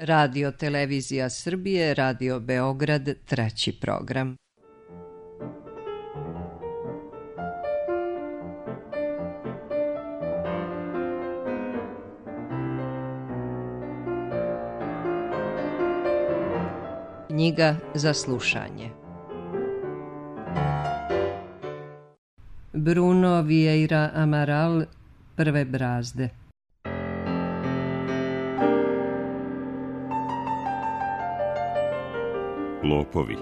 Radio Televizija Srbije, Radio Beograd, treći program. Knjiga za slušanje. Bruno Vieira Amaral, Prve brazde. Lopovi.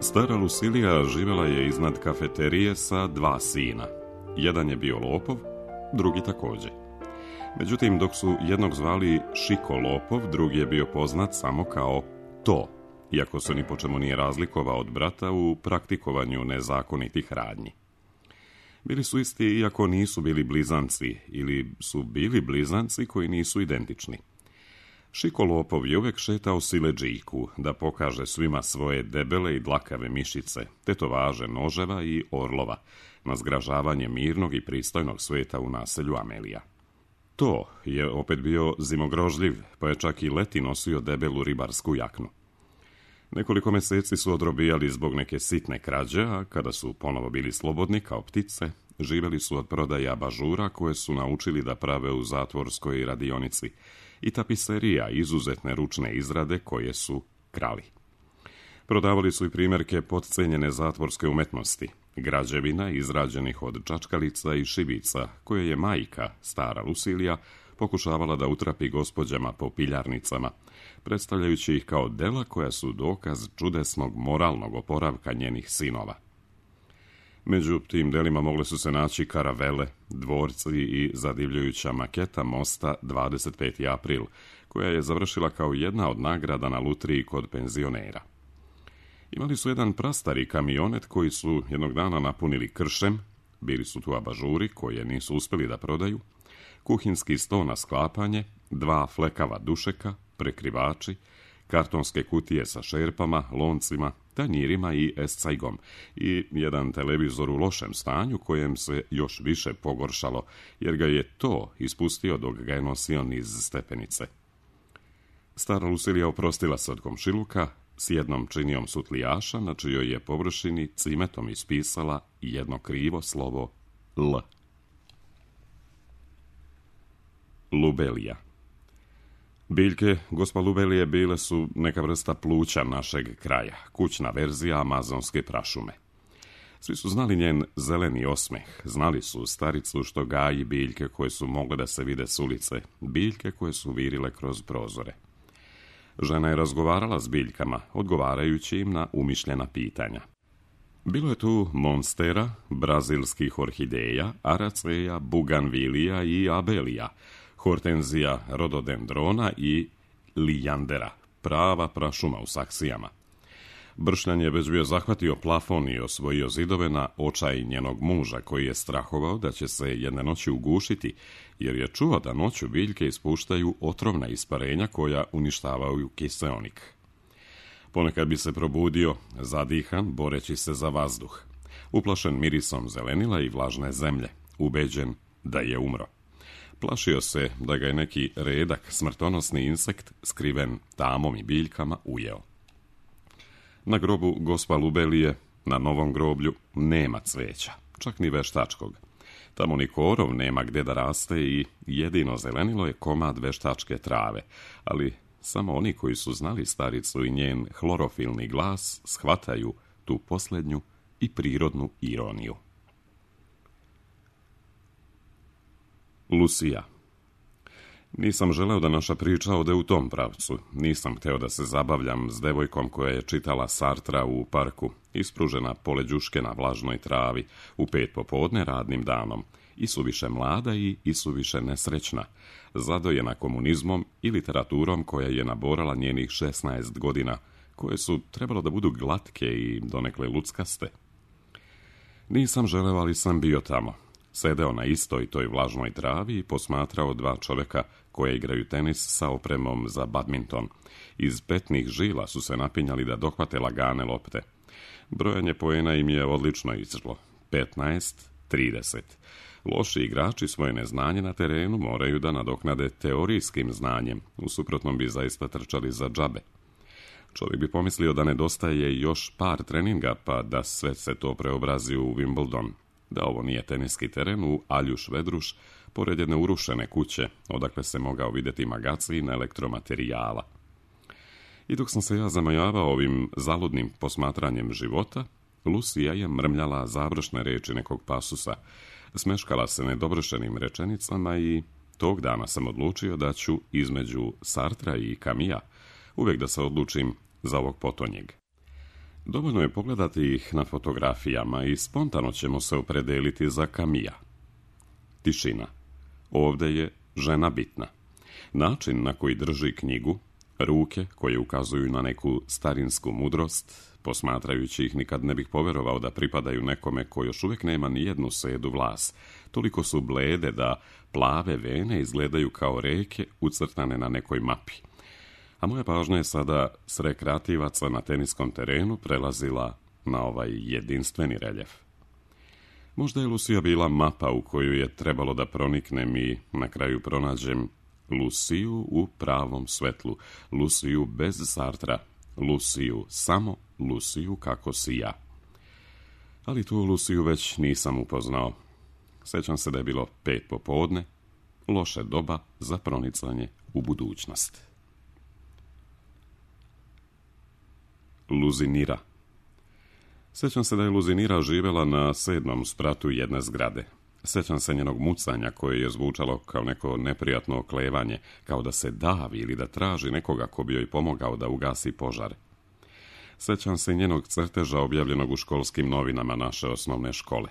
Stara Lucilija živjela je iznad kafeterije sa 2 sina. Jedan je bio lopov, drugi također. Međutim, dok su jednog zvali Šiko Lopov, drugi je bio poznat samo kao To, iako se ni po čemu nije razlikovao od brata u praktikovanju nezakonitih radnji. Bili su isti iako nisu bili blizanci, ili su bili blizanci koji nisu identični. Šiko Lopov je uvijek šetao siledžijku da pokaže svima svoje debele i dlakave mišice, tetovaže noževa i orlova, na zgražavanje mirnog i pristojnog sveta u naselju Amelija. To je opet bio zimogrožljiv, pa je čak i leti nosio debelu ribarsku jaknu. Nekoliko mjeseci su odrobijali zbog neke sitne krađe, a kada su ponovo bili slobodni kao ptice, živjeli su od prodaje abažura koje su naučili da prave u zatvorskoj radionici i tapiserija izuzetne ručne izrade koje su krali. Prodavali su i primjerke potcenjene zatvorske umetnosti, građevina izrađenih od čačkalica i šibica, koje je majka, stara Lucilija, pokušavala da utrapi gospođama po piljarnicama, predstavljajući ih kao dela koja su dokaz čudesnog moralnog oporavka njenih sinova. Među tim delima mogle su se naći karavele, dvorci i zadivljujuća maketa mosta 25. april, koja je završila kao jedna od nagrada na lutriji kod penzionera. Imali su jedan prastari kamionet koji su jednog dana napunili kršem, bili su tu abažuri koje nisu uspjeli da prodaju, kuhinski sto na sklapanje, 2 flekava dušeka, prekrivači, kartonske kutije sa šerpama, loncima, tanjirima i escajgom i jedan televizor u lošem stanju kojem se još više pogoršalo, jer ga je to ispustio dok ga je nosio niz stepenice. Stara Lucilija oprostila se od komšiluka s jednom činijom sutlijaša na čijoj je površini cimetom ispisala jedno krivo slovo L. Lubelija. Biljke gospa Lubelije bile su neka vrsta pluća našeg kraja, kućna verzija amazonske prašume. Svi su znali njen zeleni osmeh, znali su staricu što gaji biljke koje su mogle da se vide s ulice, biljke koje su virile kroz prozore. Žena je razgovarala s biljkama, odgovarajući im na umišljena pitanja. Bilo je tu monstera, brazilskih orhideja, araceja, buganvilija i abelija, hortenzija, rododendrona i lijandera, prava prašuma u saksijama. Bršljan je već bio zahvatio plafon i osvojio zidove na očaj njenog muža, koji je strahovao da će se jedne noći ugušiti, jer je čuo da noću biljke ispuštaju otrovna isparenja koja uništavaju kiseonik. Ponekad bi se probudio, zadihan, boreći se za vazduh, uplašen mirisom zelenila i vlažne zemlje, ubeđen da je umro. Plašio se da ga je neki redak, smrtonosni insekt, skriven tamom i biljkama, ujeo. Na grobu gospa Lubelije, na novom groblju, nema cveća, čak ni veštačkog. Tamo ni korov nema gdje da raste i jedino zelenilo je komad veštačke trave, ali samo oni koji su znali staricu i njen hlorofilni glas shvataju tu posljednju i prirodnu ironiju. Lucija. Nisam želeo da naša priča ode u tom pravcu. Nisam hteo da se zabavljam s devojkom koja je čitala Sartra u parku, ispružena pored đuške na vlažnoj travi, u 5 popodne radnim danom, i suviše mlada i suviše nesrećna, zadojena komunizmom i literaturom koja je naborala njenih 16 godina, koje su trebalo da budu glatke i donekle luckaste. Nisam želeo, ali sam bio tamo. Sedeo na istoj toj vlažnoj travi i posmatrao 2 čovjeka koje igraju tenis sa opremom za badminton. Iz petnih žila su se napinjali da dohvate lagane lopte. Brojanje poena im je odlično izšlo. 15-30. Loši igrači svoje neznanje na terenu moraju da nadoknade teorijskim znanjem, u suprotnom bi zaista trčali za džabe. Čovjek bi pomislio da nedostaje još par treninga, pa da sve se to preobrazi u Wimbledon, da ovo nije teniski teren u Aljuš Vedruš, pored jedne urušene kuće, odakle se mogao vidjeti magacin elektromaterijala. I dok sam se ja zamajavao ovim zaludnim posmatranjem života, Lucija je mrmljala završne riječi nekog pasusa, smeškala se nedovršenim rečenicama i tog dana sam odlučio da ću između Sartra i Camilla uvijek da se odlučim za ovog potonjeg. Dovoljno je pogledati ih na fotografijama i spontano ćemo se opredeliti za Camilla. Tišina. Ovdje je žena bitna. Način na koji drži knjigu, ruke koje ukazuju na neku starinsku mudrost, posmatrajući ih nikad ne bih povjerovao da pripadaju nekome ko još uvijek nema ni jednu sedu vlas. Toliko su blede da plave vene izgledaju kao reke ucrtane na nekoj mapi. A moja pažnja je sada s rekreativaca na teniskom terenu prelazila na ovaj jedinstveni reljef. Možda je Lucija bila mapa u koju je trebalo da proniknem i na kraju pronađem Luciju u pravom svetlu, Luciju bez Sartra, Luciju, samo Luciju kako si ja. Ali tu Luciju već nisam upoznao. Sjećam se da je bilo 5 popodne, loše doba za pronicanje u budućnost. Luzinira. Sjećam se da je Luzinira živjela na 7. spratu jedne zgrade. Sjećam se njenog mucanja koje je zvučalo kao neko neprijatno oklevanje, kao da se davi ili da traži nekoga ko bi joj pomogao da ugasi požar. Sjećam se njenog crteža objavljenog u školskim novinama naše osnovne škole.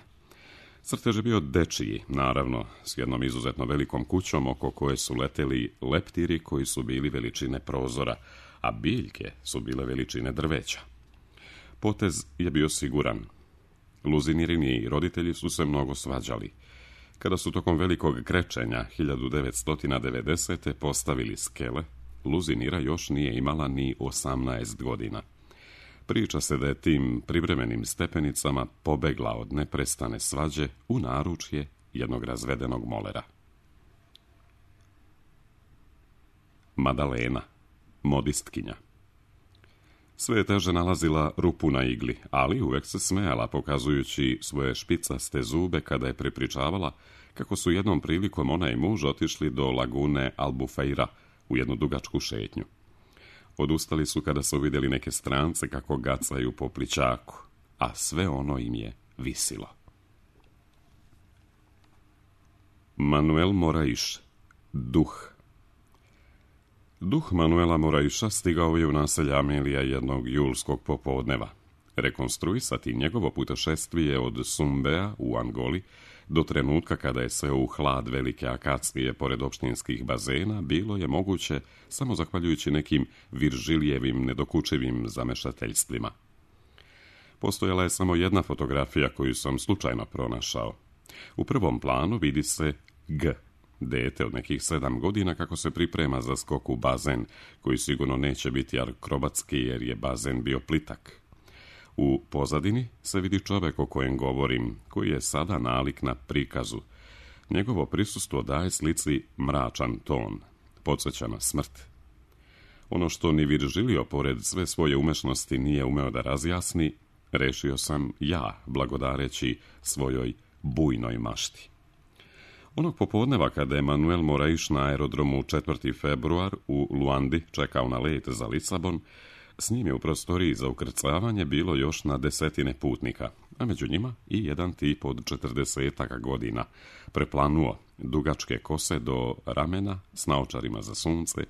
Crtež je bio dečiji, naravno, s jednom izuzetno velikom kućom oko koje su leteli leptiri koji su bili veličine prozora, a biljke su bile veličine drveća. Potez je bio siguran. Luzinirini roditelji su se mnogo svađali. Kada su tokom velikog krečenja 1990. postavili skele, Luzinira još nije imala ni 18 godina. Priča se da je tim privremenim stepenicama pobegla od neprestane svađe u naručje jednog razvedenog molera. Madalena, modistkinja. Sve je teže nalazila rupu na igli, ali uvek se smejala pokazujući svoje špicaste zube kada je prepričavala kako su jednom prilikom ona i muž otišli do lagune Albufeira u jednu dugačku šetnju. Odustali su kada su vidjeli neke strance kako gacaju po plićaku, a sve ono im je visilo. Manuel Moraiš, duh. Duh Manuela Moraiša stigao je u naselje Amelija jednog julskog popodneva. Rekonstruisati njegovo putešestvije od Sumbea u Angoli do trenutka kada je sve u hlad velike akacije pored opštinskih bazena bilo je moguće samo zahvaljujući nekim Viržilijevim nedokučivim zamešateljstvima. Postojala je samo jedna fotografija koju sam slučajno pronašao. U prvom planu vidi se G, dete od nekih 7 godina kako se priprema za skok u bazen, koji sigurno neće biti akrobatski jer je bazen bio plitak. U pozadini se vidi čovjek o kojem govorim, koji je sada nalik na prikazu. Njegovo prisustvo daje slici mračan ton, podsjeća na smrt. Ono što ni Virgilio, pored sve svoje umešnosti, nije umeo da razjasni, rešio sam ja, blagodareći svojoj bujnoj mašti. Onog popodneva kada je Manuel Moraiš na aerodromu 4. februar u Luandi čekao na let za Lisabon, s njim je u prostoriji za ukrcavanje bilo još na 10 putnika, a među njima i jedan tip od 40 godina, preplanuo, dugačke kose do ramena, s naočarima za sunce,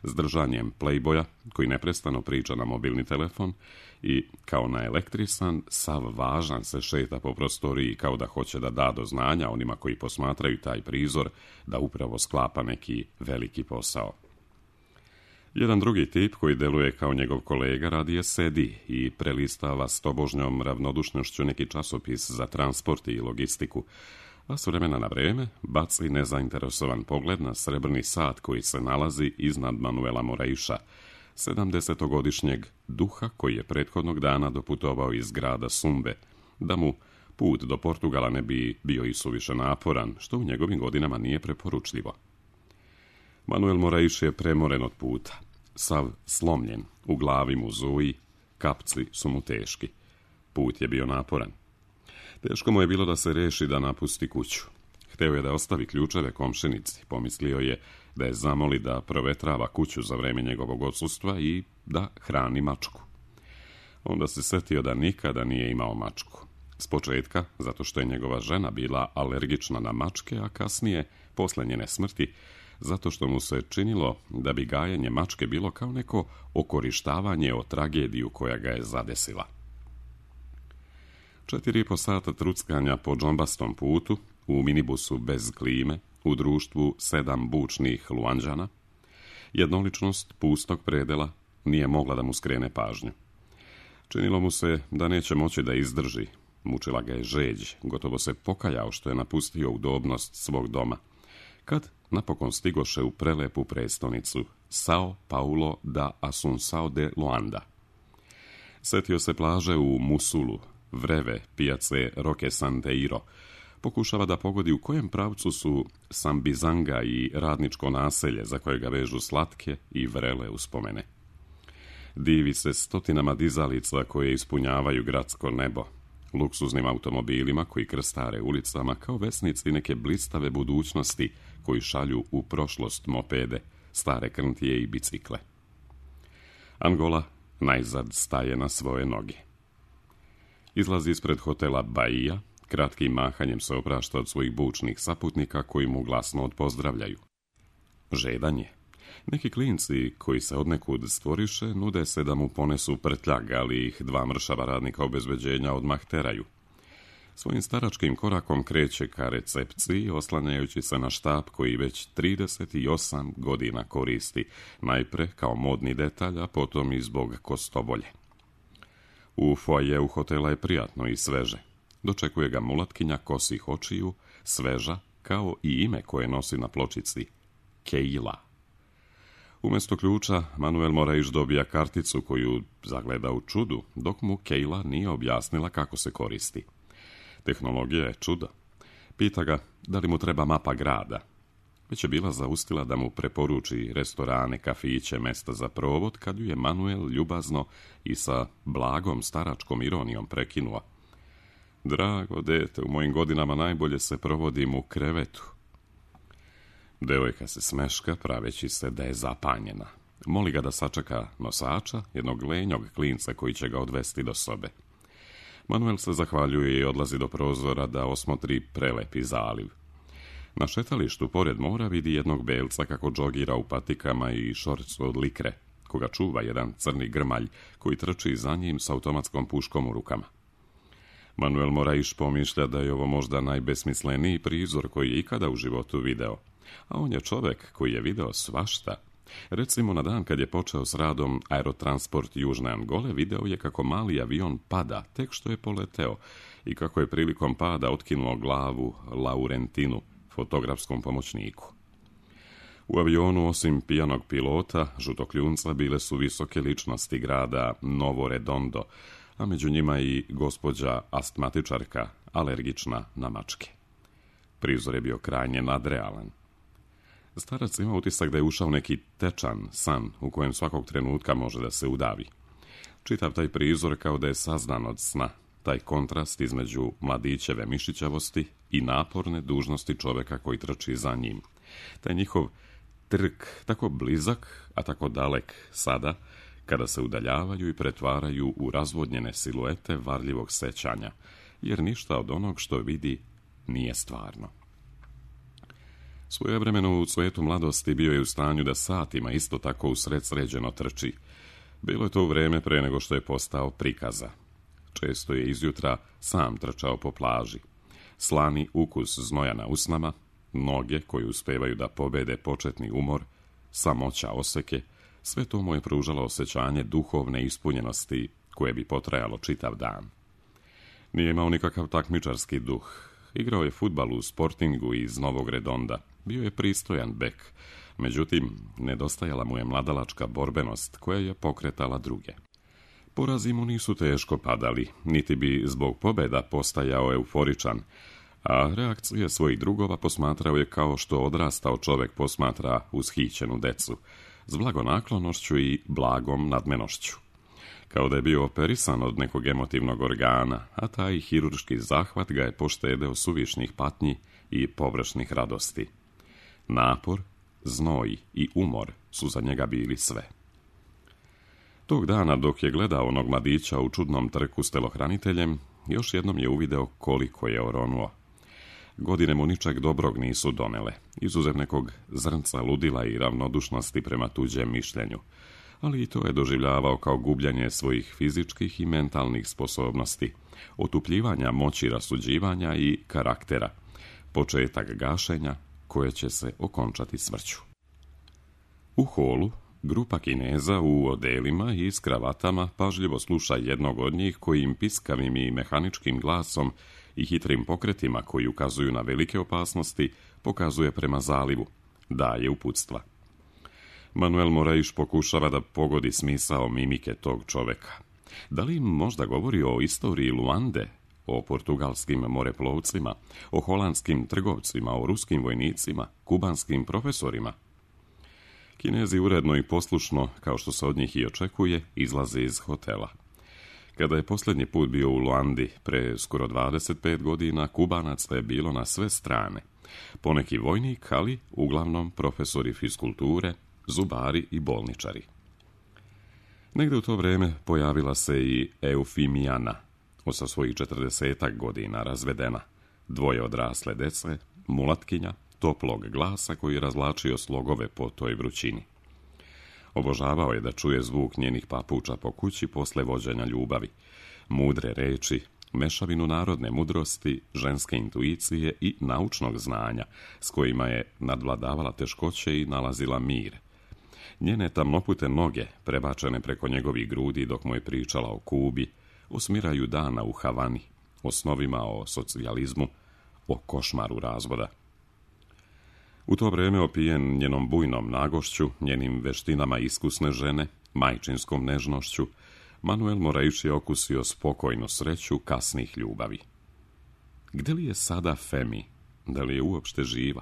s držanjem playboya, koji neprestano priča na mobilni telefon i, kao naelektrisan, sav važan se šeta po prostoriji kao da hoće da da do znanja onima koji posmatraju taj prizor da upravo sklapa neki veliki posao. Jedan drugi tip koji deluje kao njegov kolega radije sedi i prelistava s tobožnjom ravnodušnošću neki časopis za transport i logistiku, a s vremena na vreme baci nezainteresovan pogled na srebrni sat koji se nalazi iznad Manuela Moraiša, 70-godišnjeg duha koji je prethodnog dana doputovao iz grada Sumbe, da mu Put do Portugala ne bi bio i suviše naporan, što u njegovim godinama nije preporučljivo. Manuel Morais je premoren od puta, sav slomljen, u glavi mu zuji, kapci su mu teški. Put je bio naporan. Teško mu je bilo da se reši da napusti kuću. Hteo je da ostavi ključeve komšinici, pomislio je da je zamoli da provetrava kuću za vreme njegovog odsustva i da hrani mačku. Onda se setio da nikada nije imao mačku. S početka, zato što je njegova žena bila alergična na mačke, a kasnije, posle njene smrti, zato što mu se činilo da bi gajenje mačke bilo kao neko okorištavanje o tragediju koja ga je zadesila. 4,5 sata truckanja po džombastom putu, u minibusu bez klime, u društvu 7 bučnih Luanđana, jednoličnost pustog predela nije mogla da mu skrene pažnju. Činilo mu se da neće moći da izdrži, mučila ga je žeđ, gotovo se pokajao što je napustio udobnost svog doma, kad napokon stigoše u prelepu prestonicu Sao Paulo da Assunção de Luanda. Setio se plaže u Musulu, vreve pijace Roque Santeiro, pokušava da pogodi u kojem pravcu su Sambizanga i radničko naselje za koje ga vežu slatke i vrele uspomene. Divi se stotinama dizalica koje ispunjavaju gradsko nebo, luksuznim automobilima koji krstare ulicama kao vesnici neke blistave budućnosti koji šalju u prošlost mopede, stare krntije i bicikle. Angola najzad staje na svoje noge. Izlazi ispred hotela Bahia, kratkim mahanjem se oprašta od svojih bučnih saputnika koji mu glasno odpozdravljaju. Žedan je. Neki klinci koji se odnekud stvoriše nude se da mu ponesu prtljag, ali ih 2 mršava radnika obezbeđenja odmah teraju. Svojim staračkim korakom kreće ka recepciji, oslanjajući se na štap koji već 38 godina koristi, najpre kao modni detalj, a potom i zbog kostobolje. U foajeu hotela je prijatno i sveže. Dočekuje ga mulatkinja kosih očiju, sveža, kao i ime koje nosi na pločici, Keila. Umjesto ključa, Manuel Morais dobija karticu koju zagleda u čudu, dok mu Keila nije objasnila kako se koristi. Tehnologija je čudo. Pita ga da li mu treba mapa grada. Već je bila zaustila da mu preporuči restorane, kafiće, mesta za provod, kad ju je Manuel ljubazno i sa blagom staračkom ironijom prekinuo. Drago dete, u mojim godinama najbolje se provodim u krevetu. Devojka se smeška, praveći se da je zapanjena. Moli ga da sačeka nosača, jednog lenjog klinca koji će ga odvesti do sobe. Manuel se zahvaljuje i odlazi do prozora da osmotri prelepi zaliv. Na šetalištu pored mora vidi jednog belca kako džogira u patikama i šorcu od likre, koga čuva jedan crni grmalj koji trči za njim s automatskom puškom u rukama. Manuel Morais pomišlja da je ovo možda najbesmisleniji prizor koji je ikada u životu video, a on je čovek koji je video svašta. Recimo, na dan kad je počeo s radom Aerotransport Južne Angole, video je kako mali avion pada tek što je poleteo i kako je prilikom pada otkinuo glavu Laurentinu, fotografskom pomoćniku. U avionu, osim pijanog pilota, žutokljunca, bile su visoke ličnosti grada Novo Redondo, a među njima i gospođa astmatičarka, alergična na mačke. Prizor je bio krajnje nadrealan. Starac ima utisak da je ušao neki tečan san u kojem svakog trenutka može da se udavi. Čitav taj prizor kao da je sazdan od sna, taj kontrast između mladićeve mišićavosti i naporne dužnosti čoveka koji trči za njim. Taj njihov trk, tako blizak, a tako dalek sada, kada se udaljavaju i pretvaraju u razvodnjene siluete varljivog sećanja, jer ništa od onog što vidi nije stvarno. Svojevremeno u cvetu mladosti bio je u stanju da satima isto tako usred sređeno trči. Bilo je to u vreme pre nego što je postao prikaza. Često je izjutra sam trčao po plaži. Slani ukus znoja na usnama, noge koje uspevaju da pobede početni umor, samoća oseke, sve to mu je pružalo osjećanje duhovne ispunjenosti koje bi potrajalo čitav dan. Nije imao nikakav takmičarski duh. Igrao je fudbal u Sportingu iz Novog Redonda. Bio je pristojan bek, međutim, nedostajala mu je mladalačka borbenost koja je pokretala druge. Porazi mu nisu teško padali, niti bi zbog pobjeda postajao euforičan, a reakcije svojih drugova posmatrao je kao što odrastao čovjek posmatra ushićenu decu, s blagonaklonošću i blagom nadmenošću. Kao da je bio operisan od nekog emotivnog organa, a taj hirurški zahvat ga je poštedeo suvišnih patnji i površnih radosti. Napor, znoj i umor su za njega bili sve. Tog dana, dok je gledao onog mladića u čudnom trku s telohraniteljem, još jednom je uvideo koliko je oronuo. Godine mu ničeg dobrog nisu donele, izuzev nekog zrnca ludila i ravnodušnosti prema tuđem mišljenju, ali i to je doživljavao kao gubljenje svojih fizičkih i mentalnih sposobnosti, otupljivanja moći rasuđivanja i karaktera, početak gašenja koje će se okončati smrću. U holu grupa Kineza u odelima i s kravatama pažljivo sluša jednog od njih koji im piskavim i mehaničkim glasom i hitrim pokretima koji ukazuju na velike opasnosti pokazuje prema zalivu, daje uputstva. Manuel Moraes pokušava da pogodi smisao mimike tog čoveka. Da li im možda govori o istoriji Luande, o portugalskim moreplovcima, o holandskim trgovcima, o ruskim vojnicima, kubanskim profesorima? Kinezi uredno i poslušno, kao što se od njih i očekuje, izlaze iz hotela. Kada je posljednji put bio u Luandi, pre skoro 25 godina, Kubanaca je bilo na sve strane. Poneki vojnik, ali uglavnom profesori fiskulture, zubari i bolničari. Negde u to vrijeme pojavila se i Eufimijana, sa svojih 40 godina razvedena, dvoje odrasle dece, mulatkinja, toplog glasa koji je razvlačio slogove po toj vrućini. Obožavao je da čuje zvuk njenih papuča po kući posle vođenja ljubavi, mudre reči, mešavinu narodne mudrosti, ženske intuicije i naučnog znanja, s kojima je nadvladavala teškoće i nalazila mir. Njene tamnopute noge, prebačene preko njegovih grudi dok mu je pričala o Kubi, o smiraju dana u Havani, o snovima o socijalizmu, o košmaru razvoda. U to vrijeme, opijen njenom bujnom nagošću, njenim veštinama iskusne žene, majčinskom nežnošću, Manuel Moraes je okusio spokojnu sreću kasnih ljubavi. Gde li je sada Femi? Da li je uopšte živa?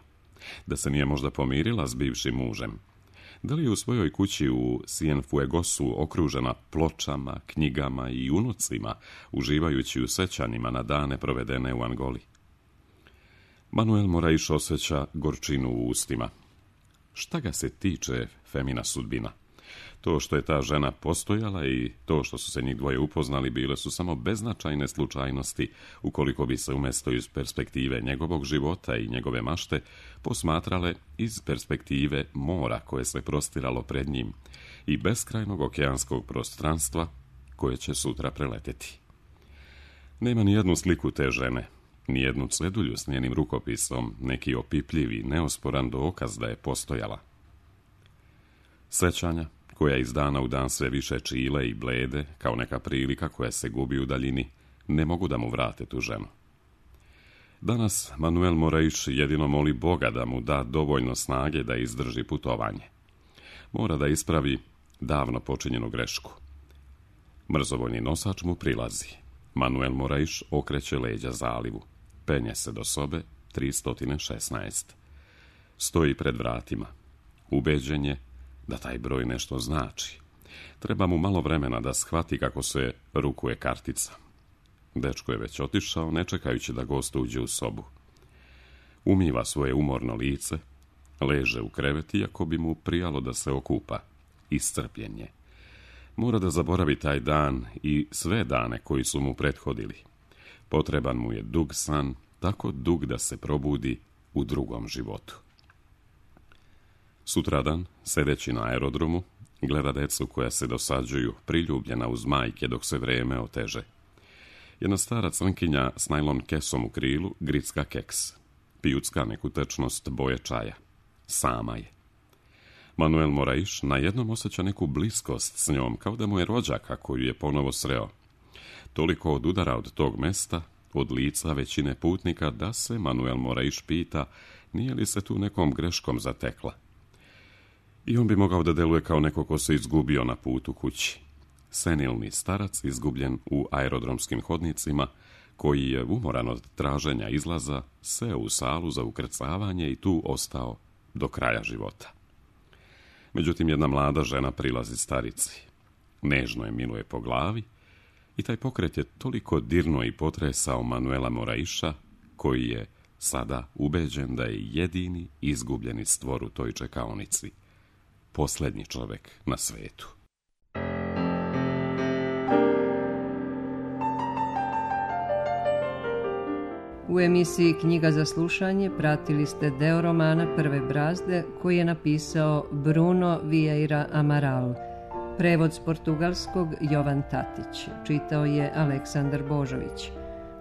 Da se nije možda pomirila s bivšim mužem? Da li je u svojoj kući u Cienfuegosu okružena pločama, knjigama i unucima, uživajući u sećanjima na dane provedene u Angoli? Manuel Moraes osjeća gorčinu u ustima. Šta ga se tiče Femina sudbina? To što je ta žena postojala i to što su se njih dvoje upoznali bile su samo beznačajne slučajnosti, ukoliko bi se umjesto iz perspektive njegovog života i njegove mašte posmatrale iz perspektive mora koje se prostiralo pred njim i beskrajnog okeanskog prostranstva koje će sutra preleteti. Nema ni jednu sliku te žene, ni jednu cedulju s njenim rukopisom, neki opipljivi, neosporan dokaz da je postojala. Sećanja, koja iz dana u dan sve više čile i blede, kao neka prilika koja se gubi u daljini, ne mogu da mu vrate tu ženu. Danas Manuel Moraes jedino moli Boga da mu da dovoljno snage da izdrži putovanje. Mora da ispravi davno počinjenu grešku. Mrzovoljni nosač mu prilazi. Manuel Moraes okreće leđa zalivu. Penje se do sobe 316. Stoji pred vratima. Ubeđen je da taj broj nešto znači. Treba mu malo vremena da shvati kako se rukuje kartica. Dečko je već otišao, ne čekajući da gost uđe u sobu. Umiva svoje umorno lice, leže u krevet iako bi mu prijalo da se okupa. Iscrpljen je. Mora da zaboravi taj dan i sve dane koji su mu prethodili. Potreban mu je dug san, tako dug da se probudi u drugom životu. Sutradan, sedeći na aerodromu, gleda decu koja se dosađuju, priljubljena uz majke dok se vreme oteže. Jedna stara crnkinja s najlon kesom u krilu gricka keks. Pijucka neku tečnost boje čaja. Sama je. Manuel Moraes najednom osjeća neku bliskost s njom, kao da mu je rođaka koju je ponovo sreo. Toliko odudara od tog mesta, od lica većine putnika, da se Manuel Moraes pita nije li se tu nekom greškom zatekla. I on bi mogao da deluje kao neko ko se izgubio na putu kući. senilni starac izgubljen u aerodromskim hodnicima, koji je umoran od traženja izlaza seo u salu za ukrcavanje i tu ostao do kraja života. Međutim, jedna mlada žena prilazi starici. Nežno je miluje po glavi i taj pokret je toliko dirnuo i potresao Manuela Moraiša, koji je sada ubeđen da je jedini izgubljeni stvor u toj čekaonici, posljednji čovjek na svetu. U emisiji Knjiga za slušanje pratili ste deo romana Prve brazde koji je napisao Bruno Vieira Amaral. Prevod s portugalskog Jovan Tatić. Čitao je Aleksandar Božović.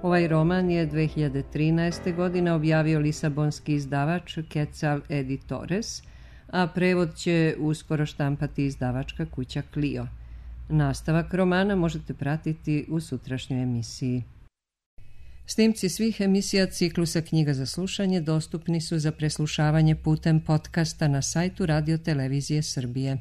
Ovaj roman je 2013. godine objavio lisabonski izdavač Quetzal Editores, a prevod će uskoro štampati izdavačka kuća Clio. Nastavak romana možete pratiti u sutrašnjoj emisiji. Snimci svih emisija ciklusa Knjiga za slušanje dostupni su za preslušavanje putem podcasta na sajtu Radio Televizije Srbije.